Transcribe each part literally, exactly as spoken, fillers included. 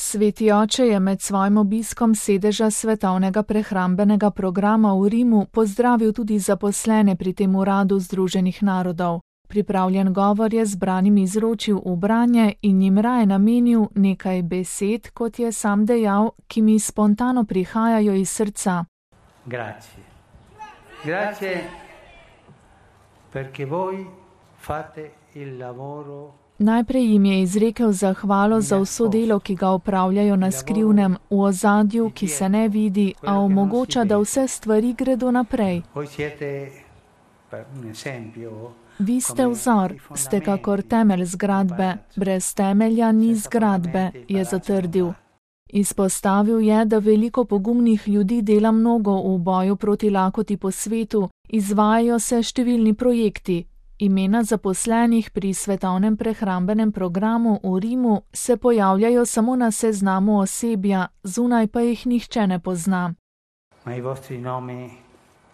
Sveti oče je med svojim obiskom sedeža Svetovnega prehrambenega programa v Rimu pozdravil tudi zaposlene pri tem uradu Združenih narodov. Pripravljen govor je zbranim izročil v branje in jim raje namenil nekaj besed, kot je sam dejal, ki mi spontano prihajajo iz srca. Grazie. Grazie perché voi fate il lavoro. Najprej jim je izrekel zahvalo za vso delo, ki ga opravljajo na skrivnem, v ozadju, ki se ne vidi, a omogoča, da vse stvari gredo naprej. Vi ste vzor, ste kakor temelj zgradbe, brez temelja ni zgradbe, je zatrdil. Izpostavil je, da veliko pogumnih ljudi dela mnogo v boju proti lakoti po svetu, izvajajo se številni projekti. Imena zaposlenih pri Svetovnem prehrambenem programu v Rimu se pojavljajo samo na seznamu osebja, zunaj pa jih nihče ne pozna. Ma i vostri nomi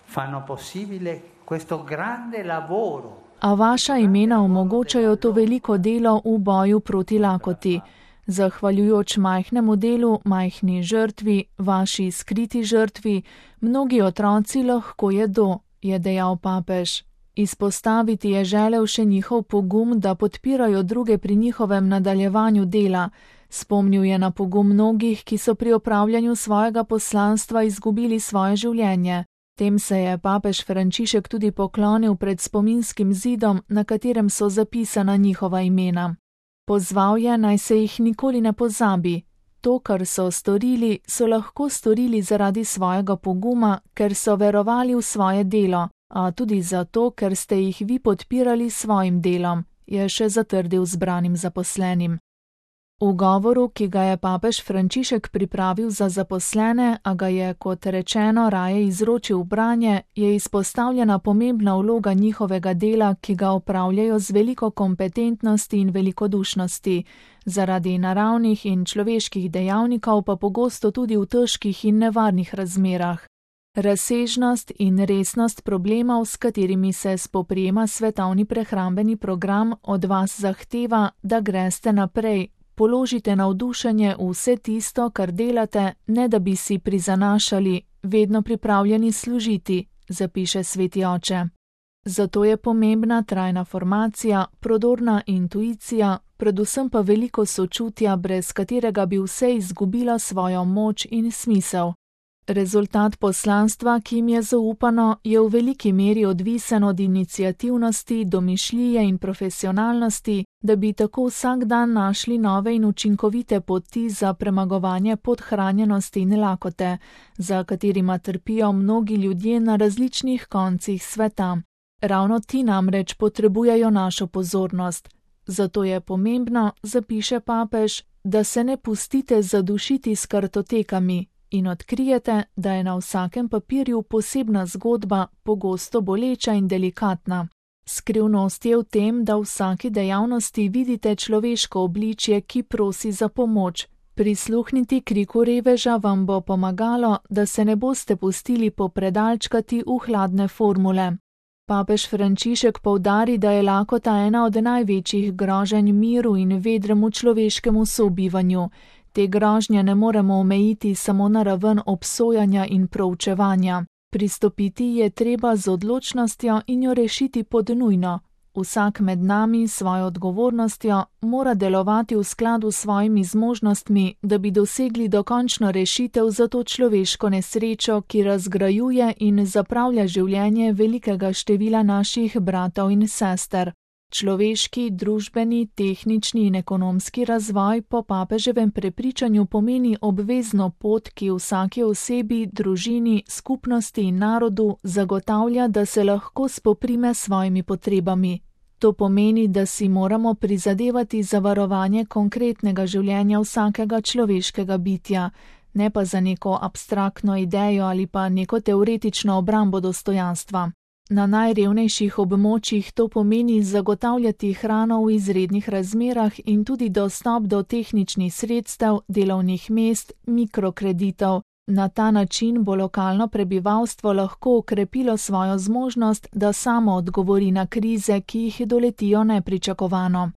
fanno possibile questo grande lavoro. A vaša imena omogočajo to veliko delo v boju proti lakoti. Zahvaljujoč majhnemu delu, majhni žrtvi, vaši skriti žrtvi, mnogi otroci lahko jedo, je dejal papež. Izpostaviti je želel še njihov pogum, da podpirajo druge pri njihovem nadaljevanju dela. Spomnil je na pogum mnogih, ki so pri opravljanju svojega poslanstva izgubili svoje življenje. Tem se je papež Frančišek tudi poklonil pred spominskim zidom, na katerem so zapisana njihova imena. Pozval je, naj se jih nikoli ne pozabi. To, kar so storili, so lahko storili zaradi svojega poguma, ker so verovali v svoje delo, a tudi zato, ker ste jih vi podpirali s svojim delom, je še zatrdil zbranim zaposlenim. V govoru, ki ga je papež Frančišek pripravil za zaposlene, a ga je, kot rečeno, raje izročil v branje, je izpostavljena pomembna vloga njihovega dela, ki ga opravljajo z veliko kompetentnosti in velikodušnosti, zaradi naravnih in človeških dejavnikov pa pogosto tudi v težkih in nevarnih razmerah. Razsežnost in resnost problemov, s katerimi se spoprijema Svetovni prehrambeni program, od vas zahteva, da greste naprej, položite navdušenje v vse tisto, kar delate, ne da bi si prizanašali, vedno pripravljeni služiti, zapiše sveti oče. Zato je pomembna trajna formacija, prodorna intuicija, predvsem pa veliko sočutja, brez katerega bi vse izgubilo svojo moč in smisel. Rezultat poslanstva, ki jim je zaupano, je v veliki meri odvisen od iniciativnosti, domišljije in profesionalnosti, da bi tako vsak dan našli nove in učinkovite poti za premagovanje podhranjenosti in lakote, za katerima trpijo mnogi ljudje na različnih koncih sveta. Ravno ti namreč potrebujejo našo pozornost. Zato je pomembno, zapiše papež, da se ne pustite zadušiti s kartotekami in odkrijete, da je na vsakem papirju posebna zgodba, pogosto boleča in delikatna. Skrivnost je v tem, da v vsaki dejavnosti vidite človeško obličje, ki prosi za pomoč. Prisluhniti kriku reveža vam bo pomagalo, da se ne boste pustili popredalčkati v hladne formule. Papež Frančišek poudari, da je lakota ena od največjih groženj miru in vedremu človeškemu sobivanju. Te grožnje ne moremo omejiti samo na raven obsojanja in proučevanja. Pristopiti je treba z odločnostjo in jo rešiti pod nujno. Vsak med nami s svojo odgovornostjo mora delovati v skladu s svojimi zmožnostmi, da bi dosegli dokončno rešitev za to človeško nesrečo, ki razgrajuje in zapravlja življenje velikega števila naših bratov in sester. Človeški, družbeni, tehnični in ekonomski razvoj po papeževem prepričanju pomeni obvezno pot, ki vsaki osebi, družini, skupnosti in narodu zagotavlja, da se lahko spoprime s svojimi potrebami. To pomeni, da si moramo prizadevati za varovanje konkretnega življenja vsakega človeškega bitja, ne pa za neko abstraktno idejo ali pa neko teoretično obrambo dostojanstva. Na najrevnejših območjih to pomeni zagotavljati hrano v izrednih razmerah in tudi dostop do tehničnih sredstev, delovnih mest, mikrokreditov. Na ta način bo lokalno prebivalstvo lahko okrepilo svojo zmožnost, da samo odgovori na krize, ki jih doletijo nepričakovano.